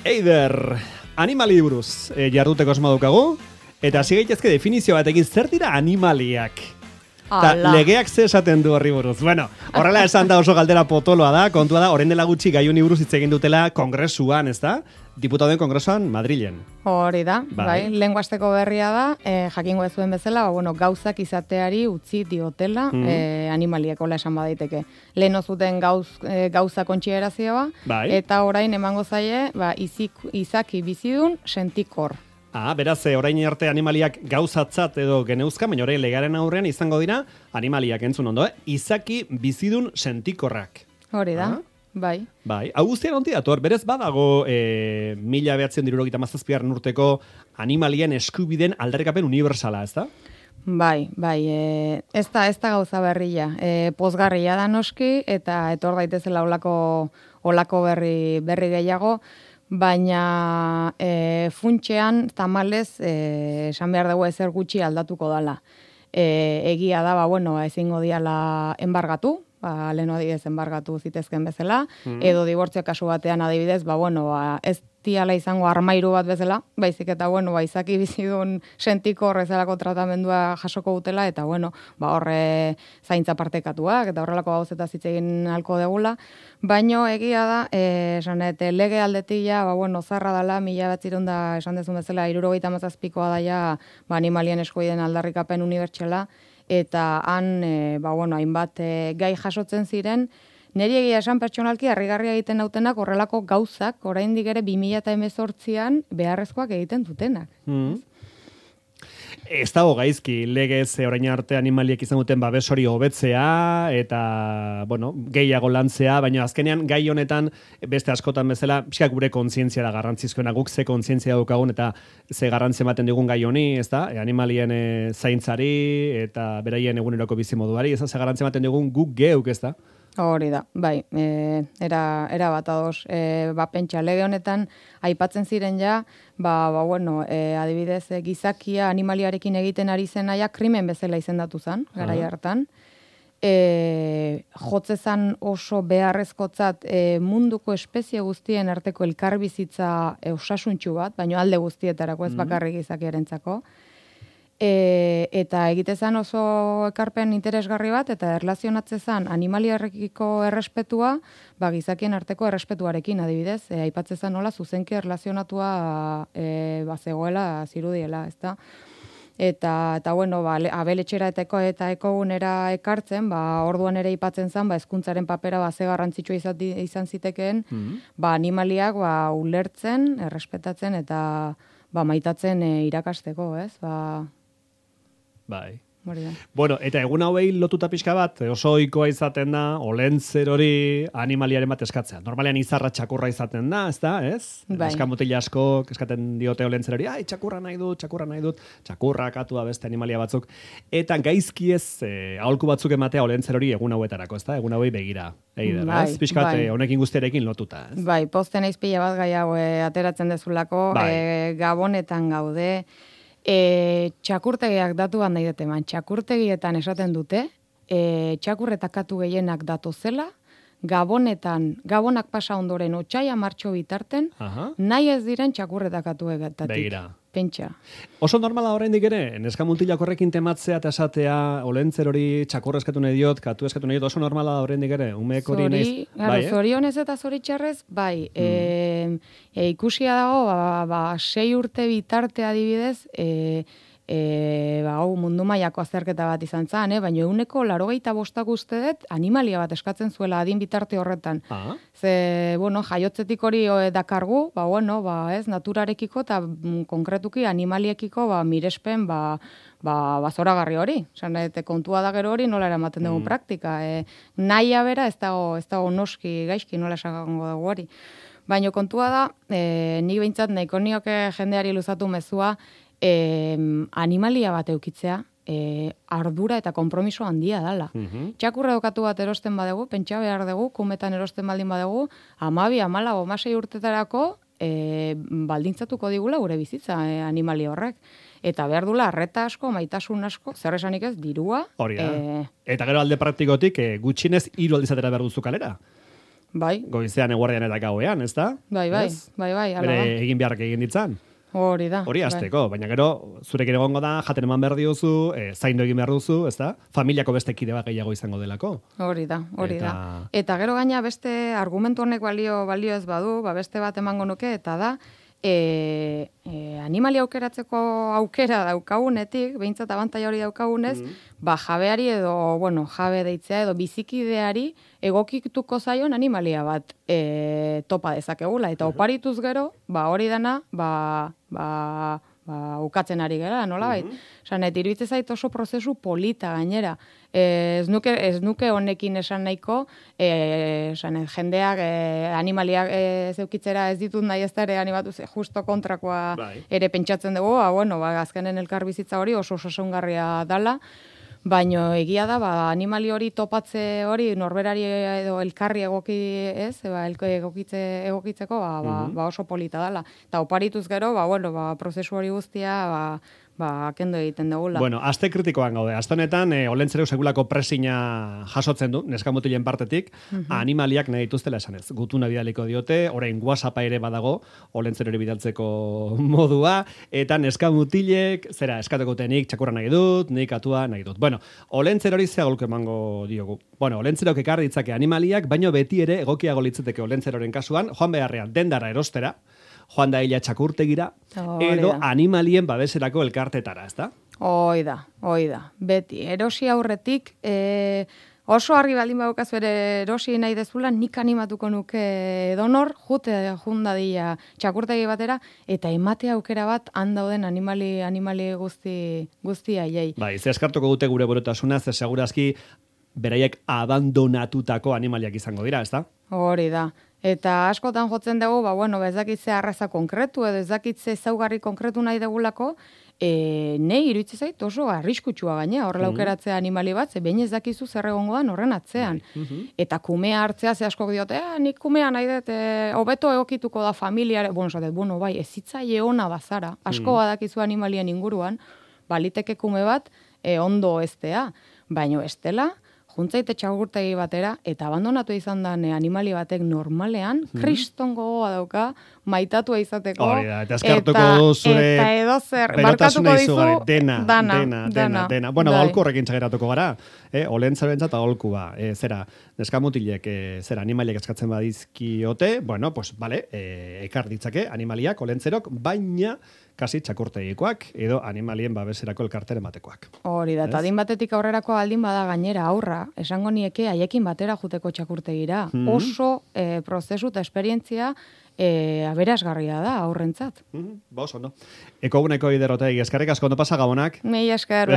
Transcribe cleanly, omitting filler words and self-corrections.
Eider, animali buruz jarduteko asmoa daukagu, eta hasi gaitezke definizio batekin zer dira animaliak. Ta legeak ze esaten du horri buruz. Bueno, horrela esan da oso galdera potoloa da, kontua da, orain dela gutxi gai honi buruz hitz egin dutela kongresuan, ezta? Diputadoen kongresuan Madrilen. Hori da, bai. Lenguasteko berria da, jakingo ez zuen bezala, gauzak izateari utzi diotela animaliek, hola esan badaiteke. Lehen zuten gauza kontxierazioa, eta orain emango zaie, izaki bizidun sentikor. Beraz, orain arte animaliak gauzatzat edo geneuzka, baina orain legaren aurrean izango dira animaliak entzun ondo, izaki bizidun sentikorrak. Hori da. Bai. Hau guztian onti dator, berez badago 1977 urteko animalien eskubideen aldarrikapen universala, ez da? Bai, ez da gauza berria. Pozgarria da noski, eta etor daitezela olako berri gehiago, baina funtxean tamalez esan behar dugu ezer gutxi aldatuko dala. Egia da, ezingo diala enbargatu, lehen adibidez enbargatu zitezken bezala, edo dibortzio kasu batean adibidez, ez diala izango armairu bat bezala, baizik eta, izaki bizidun sentiko horrezalako tratamendua jasoko dutela, eta, horre zaintza partekatuak, eta horrelako gauzeta zitzegin halko degula, baino egia da, lege aldetila, zarra dela, 1900 esan dezun bezala, 77koa daia, animalien eskubideen aldarrikapen unibertsala, eta han, hainbat gai jasotzen ziren, niri egia esan pertsonalki harrigarria egiten nautenak horrelako gauzak, oraindik ere 2018an beharrezkoak egiten dutenak. Ez dago gaizki, legez orain arte animaliek izan duten babes hori hobetzea eta, gehiago lantzea, baina azkenean gai honetan beste askotan bezala, pixka gure kontzientzia da garrantzizkoena, guk ze kontzientzia daukagun eta ze garrantzia ematen digun gai honi, ez da? Animalien zaintzari eta beraien eguneroko bizimoduari, ez da, ze garrantzia ematen digun guk geuk, ez da? Hori da, bai, era bat ados. Pentsa, lege honetan aipatzen ziren ja, adibidez, gizakia animaliarekin egiten ari zenaia krimen bezala izendatu zen, garai hartan. Jotzezan oso beharrezkotzat munduko espezie guztien arteko elkarbizitza osasuntsu bat, baina alde guztietarako ez bakarrik gizakiarentzako. Eta egitezan oso ekarpen interesgarri bat, eta erlazionatzezan animaliarekiko errespetua, gizakien arteko errespetuarekin adibidez, aipatzezan nola zuzenki erlazionatua zegoela zirudiela, ezta? Eta abeletxera eta ekogunera ekartzen, orduan ere aipatzen zen, hezkuntzaren papera ze garrantzitsua izan zitekeen, animaliak ulertzen, errespetatzen eta maitatzen irakasteko, ez? Bai. Eta egun hauei lotuta pixka bat, oso ohikoa izaten da, olentzer hori animaliaren bat eskatzea. Normalean izarra txakurra izaten da, ez da, ez? Eskamutila asko, eskaten diote olentzer hori, txakurra nahi dut, txakurra katu da beste animalia batzuk. Eta gaizki ez, aholku batzuk ematea olentzer hori egun hauetarako, ez da? Egun hauei begira. Pixka bat, honekin guztiarekin lotuta, ez? Posten eizpila bat gai hau ateratzen dezulako, Gabonetan gaude, txakurtegiak datu bat nahi dut eman. Txakurtegietan esaten dute, txakurretakatu gehienak datozela, Gabonak pasa ondoren otsaila martxo bitarten, nahi ez diren txakurretakatu egatatik. Begira. Pentsa. Oso normala oraindik ere, neskamutilak horrekin tematzea eta esatea, olentzer hori txakurra eskatu nahi diot, katu eskatu nahi diot, oso normala oraindik ere, umeek hori nahiz. Zorionez eta zoritxarrez, ikusia dago, 6 urte bitarte adibidez, mundu mailako azterketa bat izan zen, baina 85% uste dut animalia bat eskatzen zuela adin bitarte horretan. Ze, jaiotzetik hori dakargu, naturarekiko eta konkretuki animaliekiko mirespen zoragarri hori. Kontua da gero hori nola eramaten dugu praktika. Nahia bera ez dago noski gaizki nola esagango dugu hori. Baina kontua da, nik behintzat nahiko nioke jendeari luzatu mezua, animalia bat eukitzea, ardura eta konpromiso handia dala. Txakurra dokatu bat erosten badegu, pentsa behar dugu, kumetan erosten baldin badegu, 12, 14, 16 urtetarako baldintzatuko digula gure bizitza animalia horrek. Eta behar dula, arreta asko, maitasun asko, zer esanik ez, dirua. Hori da. Eta gero alde praktikotik, gutxinez 3 aldizatera behar duzu kalera. Bai. Goizean, eguardian eta gauean, ez da? Bai, ala da. Bere egin beharrak egin ditzan. Hori da. Hori hasteko, baina gero, zurekin egongo da, jaten eman behar diozu, zaindu egin behar duzu, ez da? Familiako beste kide bat gehiago izango delako. Hori da. Eta gero gaina beste argumentu honek balio ez badu, beste bat emango nuke, eta da, animalia aukeratzeko aukera daukagunetik, behintzat abantaia hori daukagunez, jabeari edo, jabe deitzea edo bizikideari egokituko zaion animalia bat topa dezakegula. Eta oparituz gero, hori dana, ukatzen ari gara, nola bait? Iruditzen zait oso prozesu polita gainera. Ez nuke honekin esan nahiko, jendeak animaliak zeukitzera ez ditut nahi ez da ere animatu, justo kontrakoa ere pentsatzen dugu, azkenen elkarbizitza hori oso osasungarria dala, baina egia da, animali hori topatze hori norberari edo elkarri egokitzeko oso polita dala. Eta oparituz gero, prozesu hori guztia, kendo egiten dugula. Bueno, aste kritikoan gaude. Aste honetan, olentzereu segulako presina jasotzen du, neskamutilen partetik, animaliak nahi dituztela esanez. Gutuna bidaliko diote, orain WhatsAppa ere badago, olentzerori bidaltzeko modua, eta neskamutilek, eskatuko nik txakurra nahi dut, nik atua nahi dut. Bueno, olentzerori zeagolko emango diogu. Bueno, olentzerok ekar ditzake animaliak, baino beti ere egokiago litzateke olentzeroren kasuan, joan beharrean dendara erostera, joan da ila txakurtegira, edo animalien babeserako elkartetara, ez da? Hoi da. Beti, erosi aurretik, oso argi baldin badukaz bere erosi nahi dezula, nik animatuko nuke donor, jundadila txakurtegi batera, eta emate aukera bat handauden animali guzti aiei. Ze eskartuko dute gure borotasuna, ze segurazki beraiek abandonatutako animaliak izango dira, ez da? Hori da. Eta askotan jotzen dugu, ez dakitze arraza konkretu edo ez dakitze zaugarri konkretu nahi degulako, nahi iruditzen zait oso arriskutsua gaina, horrela aukeratzea animali bat, ze behin ez dakizu zer egongo dan horren atzean. Eta kumea hartzea ze askok diote, nik kumea nahi dut, hobeto egokituko da familiare, ez zitzaile ona bazara, asko badakizu animalien inguruan, baliteke kume bat ondo eztea, baino estela, juntzaite txagurtegi batera, eta abandonatu izan da animali batek normalean, kriston gogoa dauka, maitatua izateko. Hori da, eta eskartuko du zure eta edo zer, barkatuko dizu, dena. Bueno, aholku horrekin txageratuko gara, olentza bentsat aholku ba, neskamutilek, animaliak eskatzen badizkiote, ekar ditzake animaliak, olentzerok, baina kasi txakurtegikoak edo animalien babeserako elkarteren batekoak. Hori da, eta adin batetik aurrerako aldin bada gainera aurra, esango nieke haiekin batera juteko txakurtegira. Oso prozesu eta esperientzia aberasgarria da aurrentzat. Oso, no? Eko guneko iderrotegi, eskarrik asko, no pasa gabonak? Mila esker,